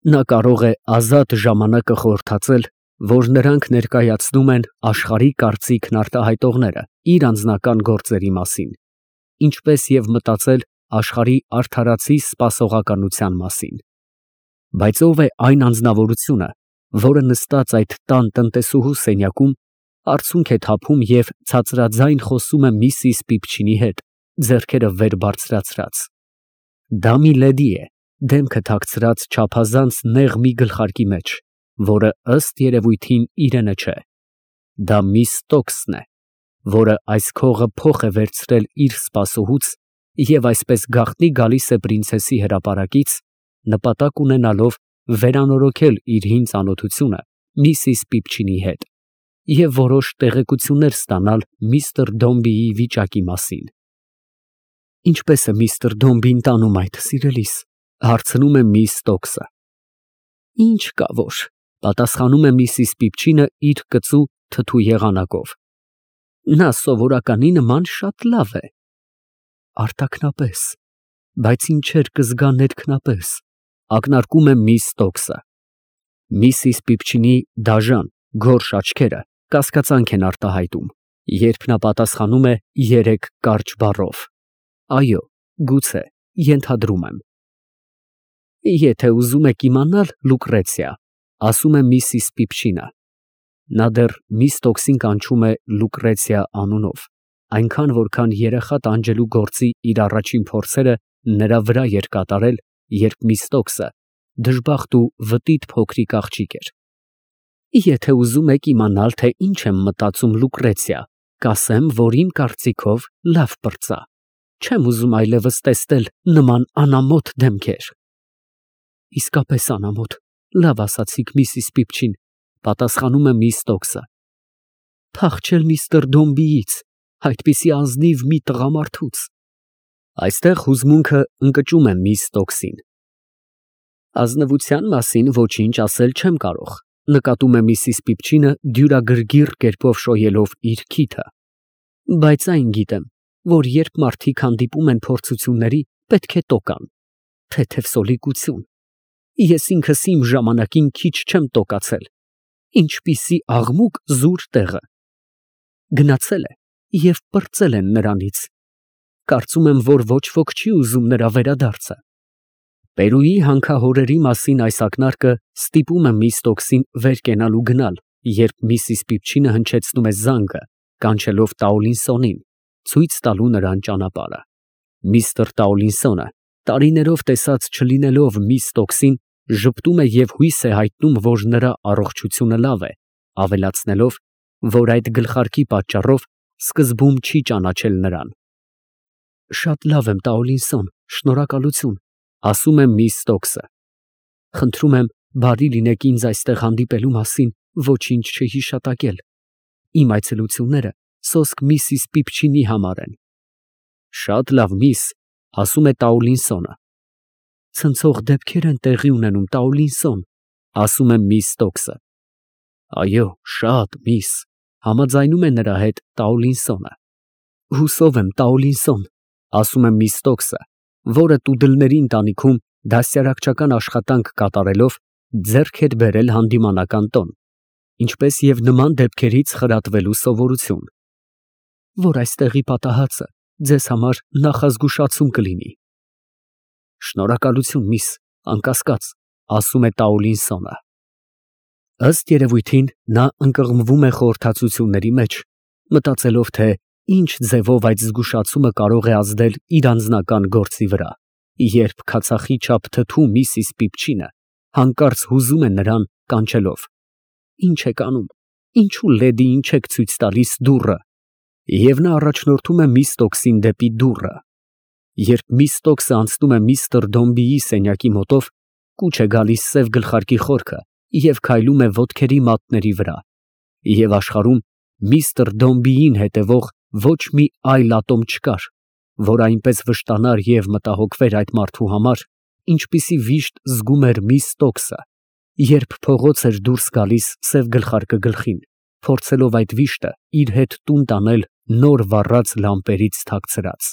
Նա կարող է ազատ ժամանակը խորհրդածել, որ նրանք ներկայացնում են աշխարհի կարծիքն արտահայտողները իր անձնական գործերի մասին, ինչպես և մտածել աշխարհի արդարացի սպասողականության մասին։ Բայց ով է այն անձնավորությունը, որը նստած այդ տան տնտեսուհու սենյակում արցունք է թափում և ցածրաձայն խոսում է միսիս Պիպչինի հետ, ձեռքերը վեր բարձրացրած։ Դա մի լեդի է, դեմքը թաքցրած չափազանց նեղ մի գլխարկի մեջ, որը ըստ երևույթին իրենը չէ։ Դա միս Ստոքսն է, որը այս քողը փոխ է վերցրել իր սպասուհուց և այսպես գաղտնի գալիս է պրինցեսի հրապարակից, նպատակ ունենալով վերանորոգել իր հին ծանոթությունը միսիս Պիպչինի հետ և որոշ տեղեկություններ ստանալ միստր Դոմբիի վիճակի մասին։ «Ինչպե՞ս է միստր Դոմբին տանում այդ, սիրելիս», ֊ հարցնում է միս Ստոքսը։ «Ինչ կա որ», ֊ պատասխանում է միսիս Պիպչինը իր կծու թթու եղանակով։ «Նա սովորականի նման շատ լավ է»։ «Արտաքնապես, բայց ինչեր կզգա ներքնապես», ֊ ակնարկում է միս Ստոքսը։ Միսիս Պիպչինի դաժան, գորշ աչքերը կասկածանք են արտահայտում, երբ նա պատասխանում է երեք կարճ բառով. «Այո, գուցե, ենթադրում եմ»։ «Եթե ուզում եք իմանալ, Լուկրեցիա», ֊ ասում է միսիս Պիպչինը (նա դեռ միս Ստոքսին կանչում է Լուկրեցիա անունով, այնքան, որքան երեխա տանջելու գործի իր առաջին փորձերը նրա վրա էր կատարել, երբ միս Ստոքսը դժբախտ ու վտիտ փոքրիկ աղջիկ էր)։ «Եթե ուզում եք իմանալ, թե ինչ եմ մտածում, Լուկրեցիա, կասեմ, որ իմ կարծիքով լավ պրծա։ Չեմ ուզում այլևս տեսնել նման անամոթ դեմքեր»։ «Իսկապես անամոթ, լավ ասացիք, միսիս Պիպչին», ֊ պատասխանում է միս Ստոքսը։ «Փախչել միստր Դոմբիից, այդպիսի ազնիվ մի տղամարդուց»։ Այստեղ հուզմունքը ընկճում է միս Ստոքսին։ «Ազնվության մասին ոչինչ ասել չեմ կարող», ֊ նկատում է միսիս Պիպչինը դյուրագրգիռ կերպով շոյելով իր քիթը, «բայց այն գիտեմ, որ երբ մարդիկ հանդիպում են փորձությունների, պետք է տոկան, թեթև սոլիկություն։ Ես ինքս իմ ժամանակին քիչ չեմ տոկացել, ինչպիսի աղմուկ զուր տեղը։ Գնացել է և պրծել են նրանից։ Կարծում եմ, որ ոչ ոք չի ուզում նրա վերադարձը»։ Պերուի հանքահորերի մասին այս ակնարկը ստիպում է միս Ստոքսին վեր կենալ ու գնալ, երբ միսիս Պիպչինը հնչեցնում է զանգը, կանչելով Տաուլինսոնին, ցույց տալու նրան ճանապարհը։ Միստր Տաուլինսոնը, տարիներով տեսած չլինելով միս Ստոքսին, ժպտում է և հույս է հայտնում, որ նրա առողջությունը լավ է, ավելացնելով, որ այդ գլխարկի պատճառով սկզբում չի ճանաչել նրան։ «Շատ լավ եմ, Տաուլինսոն, շնորհակալություն», ֊ ասում է միս Ստոքսը։ «Խնդրում եմ, բարի լինեք ինձ այստեղ հանդիպելու մասին ոչինչ չհիշատակել։ Իմ այցելությունները սոսկ միսիս Պիպչինի համար են»։ «Շատ լավ, միս», ֊ ասում է Տաուլինսոնը։ «Ցնցող դեպքեր են տեղի ունենում, Տաուլինսոն», ֊ ասում է միս Ստոքսը։ «Այո, շատ, միս», ֊ համաձայնում է նրա հետ Տաուլինսոնը։ «Հուսով եմ, Տաուլինսոն», ֊ ասում է միս Ստոքսը, որը տուդլների ընտանիքում դաստիարակչական աշխատանք կատարելով ձեռք էր բերել հանդիմանական տոն, ինչպես և նման դեպքերից խրատվելու սովորություն, «որ այստեղի պատահածը ձեզ համար նախազգուշացում կլինի»։ «Շնորհակալություն, միս, անկասկած», ֊ ասում է Տաուլինսոնը։ Ըստ երևույթին նա ընկղմվում է խորհրդածությունների մեջ, մտածելով, թե ինչ ձևով այդ զգուշացումը կարող է ազդել իր անձնական գործի վրա, երբ քացախի չափ թթու միսիս Պիպչինը հանկարծ հուզում է նրան, կանչելով. «Ինչ եք անում, ինչու լեդիին չեք ցույց տալիս դուռը»։ Եվ նա առաջնորդում է միս Ստոքսին դեպի դուռը։ Երբ միս Ստոքսը անցնում է միստր Դոմբիի սենյակի մոտով, կուչ է գալիս սև գլխարկի խորքը և քայլում է ոտքերի մատների վրա, և աշխարհում միստր Դոմբիին հետևող ոչ մի այլ ատոմ չկար, որ այնպես վշտանար և մտահոգվեր այդ մարդու համար, ինչպիսի վիշտ զգում էր միս Ստոքսը, երբ փողոց էր դուրս գալիս սև գլխարկը գլխին, փորձելով այդ վիշտը իր հետ տուն տանել նոր վառած լամպերից թաքցրած։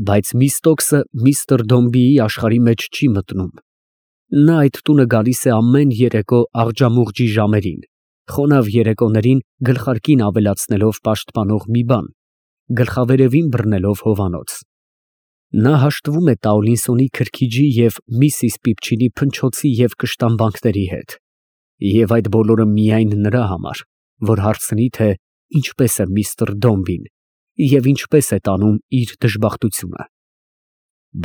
Բայց միս Ստոքսը միստր Դոմբիի աշխարհի մեջ չի մտնում։ Նա այդ տունը գալիս է ամեն երեկո աղջամուղջի ժամերին, խոնավ երեկոներին գլխարկին ավելացնելով պաշտպանող մի բան, գլխավերևին բռնելով հովանոց։ Նա հաշտվում է Տաուլինսոնի քրքիջի և Միսիս Պիպչինի փնչոցի և կշտամբանքների հետ, և այդ բոլորը միայն նրա համար, որ հարցնի, թե ինչպես է միստր Դոմբին և ինչպես է տանում իր դժբախտությունը։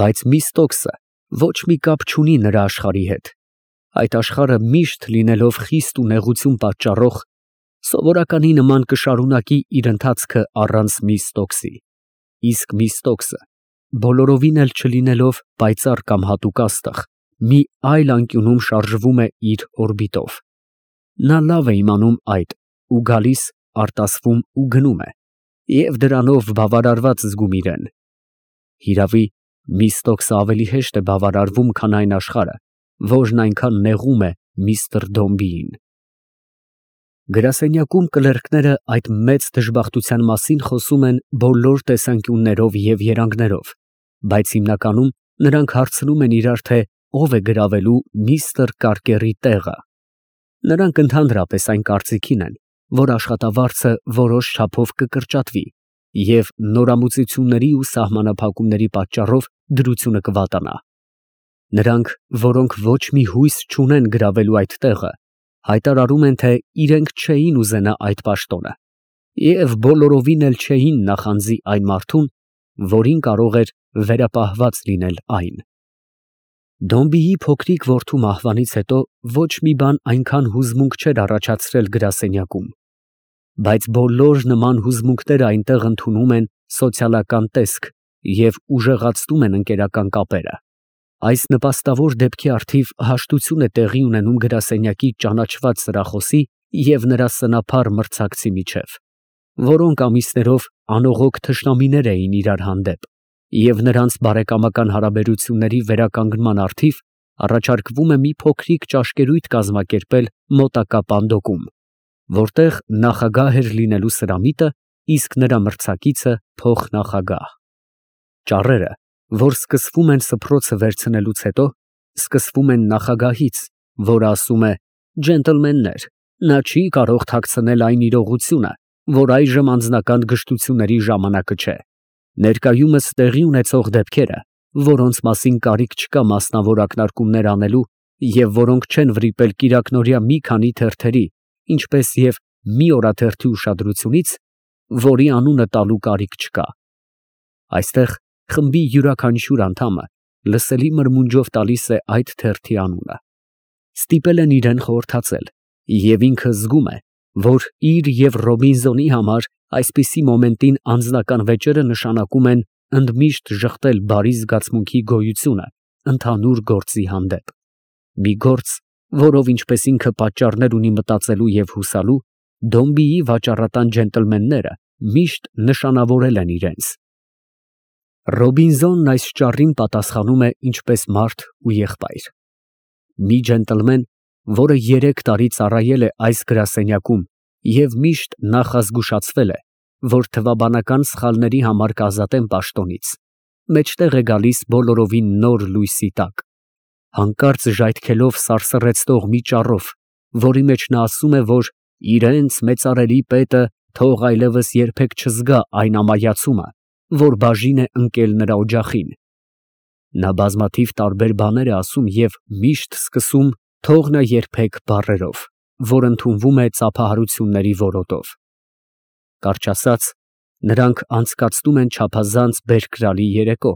Բայց Միստ Օքսը ոչ մի կապ չունի նրա աշխարհի հետ, այդ աշխարհը միշտ լինելով խիստ ու նեղություն պատճառող, սովորականի նման կշարունակի իր ընթացքը առանց Միստ Օքսի, իսկ Միստ Օքսը, բոլորովին էլ չլինելով պայծառ կամ հատուկ աստղ, մի այլ անկյունում շարժվում է իր օրբիտով։ Նա լավ է իմանում այդ ու գալիս, արտասվում ու գնում է, և դրանով բավարարված զգում իրեն։ Հիրավի, Միստ Օքսը ավելի հեշտ է բավարարվում, քան այն աշխարհը, որն այնքան նեղում է միստր Դոմբիին։ Գրասենյակում կլերկները այդ մեծ դժբախտության մասին խոսում են բոլոր տեսանկյուններով և երանգներով, բայց հիմնականում նրանք հարցնում են իրար, թե ով է գրավելու միստր Կարկերի տեղը։ Նրանք ընդհանրապես այն կարծիքին են, որ աշխատավարձը որոշ չափով կկրճատվի, և նորամուծությունների ու սահմանափակումների պատճառով դրությունը կվատանա։ Նրանք, որոնք ոչ մի հույս չունեն գրավելու այդ տեղը, հայտարարում են, թե իրենք չէին ուզենա այդ պաշտոնը և բոլորովին էլ չէին նախանձի այն մարդուն, որին կարող էր վերապահված լինել այն։ Դոմբիի փոքրիկ որդու մահվանից հետո ոչ մի բան այնքան հուզմունք չէր առաջացրել գրասենյակում, բայց բոլոր նման հուզմունքները այնտեղ ընդունում են սոցիալական տեսք և ուժեղացնում են ընկերական կապերը։ Այս նպաստավոր դեպքի առթիվ հաշտություն է տեղի ունենում գրասենյակի ճանաչված սրախոսի և նրա սնափառ մրցակցի միջև, որոնք ամիսներով անողոք թշնամիներ էին իրար հանդեպ, և նրանց բարեկամական հարաբերությունների վերականգնման առթիվ առաջարկվում է մի փոքրիկ ճաշկերույթ կազմակերպել մոտակա պանդոկում, որտեղ նախագահ էր լինելու Սրամիտը, իսկ նրա մրցակիցը փոխնախագահ։ Ճառերը, որ սկսվում են սփռոցը վերցնելուց հետո, սկսվում են նախագահից, որը ասում է. «Ջենտլմեններ, նա չի կարող թաքցնել այն իրողությունը, որ այժմ անձնական գժտությունների ժամանակը չէ։ Ներկայումս տեղի ունեցող դեպքերը, որոնց մասին կարիք չկա մասնավոր ակնարկումներ անելու և որոնք չեն վրիպել կիրակնօրյա մի քանի թերթերի, ինչպես և մի օրաթերթի ուշադրությունից, որի անունը տալու կարիք չկա»։ Այստեղ խմբի յուրաքանչյուր անդամը լսելի մրմունջով տալիս է այդ թերթի անունը։ Ստիպել են իրան խորհրդածել, և ինքը զգում է, որ իր և Ռոբինզոնի համար այսպիսի մոմենտին անձնական վեճերը նշանակում են ընդմիշտ ժխտել բարի զգացմունքի գոյությունը ընդհանուր գործի հանդեպ։ Մի գործ, որով ինչպես ինքը պատճառներ ունի մտածելու և հուսալու, Դոմբիի վաճառատան ջենտլմենները միշտ նշանավորել են իրենց։ Ռոբինզոնն այս ճառին պատասխանում է ինչպես մարդ ու եղբայր։ Մի ջենտլմեն, որը 3 տարի ծառայել է այս գրասենյակում և միշտ նախազգուշացվել է, որ թվաբանական սխալների համար կազատեն պաշտոնից, մեջտեղ է գալիս բոլորովին նոր լույսի տակ, հանկարծ ժայթքելով սարսռեցնող մի ճառով, որի մեջ նա ասում է, որ իրենց մեծարելի պետը թող այլևս երբեք չզգա այն ամայացումը, որ բաժին է ընկել նրա օջախին։ Նա բազմաթիվ տարբեր բաներ է ասում և միշտ սկսում «թող նա երբեք» բառերով, որ ընդունվում է ծափահարությունների որոտով։ Կարճ ասած, նրանք անցկացնում են չափազանց բերկրալի երեկո,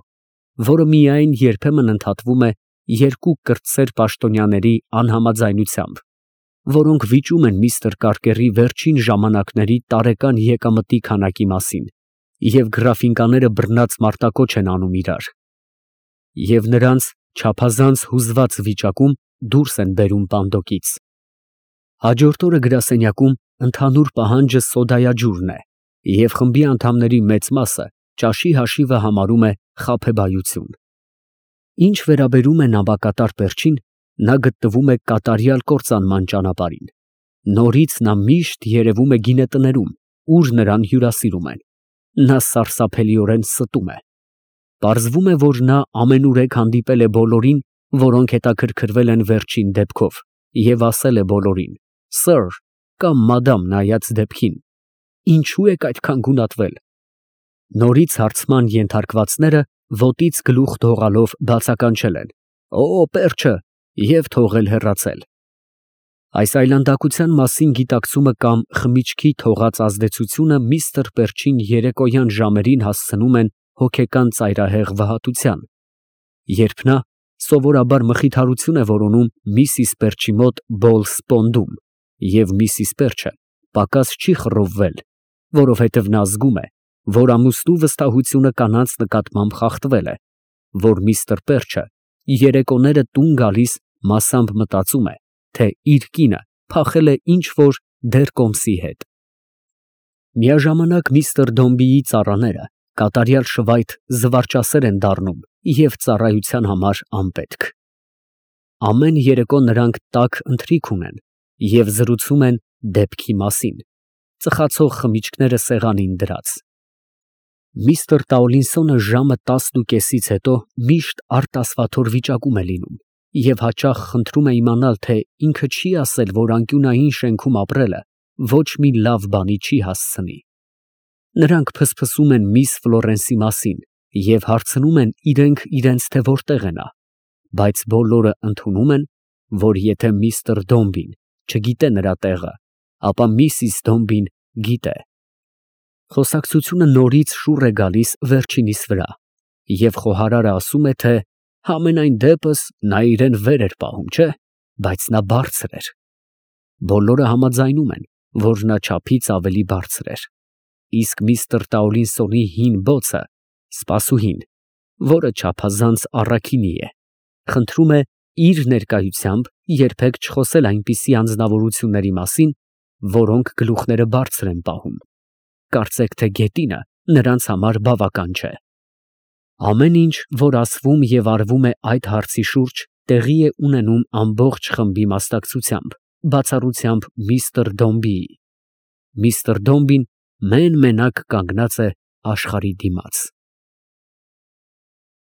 որը միայն երբեմն ընդհատվում է 2 կրտսեր պաշտոնյաների անհամաձայնությամբ, որոնք վիճում են միստր Կարկերի վերջին ժամանակների տարեկան եկամտի քանակի մասին և գրաֆինկաները բռնած մարտակոչ են անում իրար, և նրանց չափազանց հուզված վիճակում դուրս են բերում պանդոկից։ Հաջորդ օրը գրասենյակում ընդհանուր պահանջը սոդայաջուրն է, և խմբի անդամների մեծ մասը ճաշի հաշիվը համարում է խաբեբայություն։ Ինչ վերաբերում է նամակատար պերճին, նա գտնվում է կատարյալ կործանման ճանապարհին։ Նորից նա միշտ երևում է գինետներում, ուր նրան հյուրասիրում են։ Նա սարսափելիորեն ստում է։ Պարզվում է, որ նա ամենուրեք հանդիպել է բոլորին որոնք հետաքրքրվել են վերջին դեպքով, և ասել է բոլորին. «Սըր» կամ «Մադամ» նայած դեպքին, ինչու եք այդքան գունատվել։ Նորից հարցման ենթարկվածները ոտից գլուխ թողալով բացականչել են. «Օ, պերջը» և թողել հեռացել։ Այս այլանդակության մասին գիտակցումը կամ խմիչքի թողած ազդեցությունը միստր Պերջին երեկոյան ժամերին հասցնում են հոգեկան ծայրահեղ վհատության, երբ նա սովորաբար մխիթարություն է որոնում միսիս Պերջի մոտ Բոլ Սպոնդում, և միսիս Պերջը պակաս չի խռովվել, որովհետև նա զգում է, որ ամուսնու վստահությունը կանանց նկատմամբ խախտվել է, որ միստր Պերջը երեկոները տուն գալիս մասամբ մտածում է, թե իր կինը փախել է ինչ֊որ դեռ կոմսի հետ։ Միաժամանակ միստր Դոմբիի ծառաները կատարյալ շվայտ զվարճասեր են դառնում և ծառայության համար անպետք։ Ամեն երեկո նրանք տաք ընթրիք ունեն և զրուցում են դեպքի մասին, ծխացող խմիչքները սեղանին դրած։ Միստր Տաուլինսոնը ժամը 10:30-ից հետո միշտ արտասվաթոր վիճակում է լինում և հաճախ խնդրում է իմանալ, թե ինքը չի ասել, որ անկյունային շենքում ապրելը ոչ մի լավ բանի չի հասցնի։ Նրանք փսփսում են միս Ֆլորենսի մասին և հարցնում են իրենք իրենց, թե որտեղ է նա, բայց բոլորը ընդունում են, որ եթե միստր Դոմբին չգիտե նրա տեղը, ապա միսիս Դոմբին գիտե։ Խոսակցությունը նորից շուռ է գալիս վերջինիս վրա, և խոհարարը ասում է, թե համենայն դեպս նա իրան վեր էր պահում, չէ՞, բայց նա բարձր էր։ Բոլորը համաձայնում են, որ նա չափից ավելի բարձր էր, իսկ միստր Տաուլինսոնի հին բոցը, սպասուհին, որը չափազանց առաքինի է, խնդրում է իր ներկայությամբ երբեք չխոսել այնպիսի անձնավորությունների մասին, որոնք գլուխները բարձր են պահում, կարծեք թե գետինը նրանց համար բավական չէ։ Ամեն ինչ, որ ասվում և արվում է այդ հարցի շուրջ, տեղի է ունենում ամբողջ խմբի մասնակցությամբ, բացառությամբ միստր Դոմբիի։ Միստր Դոմբին մեն֊մենակ կանգնած է աշխարհի դիմաց։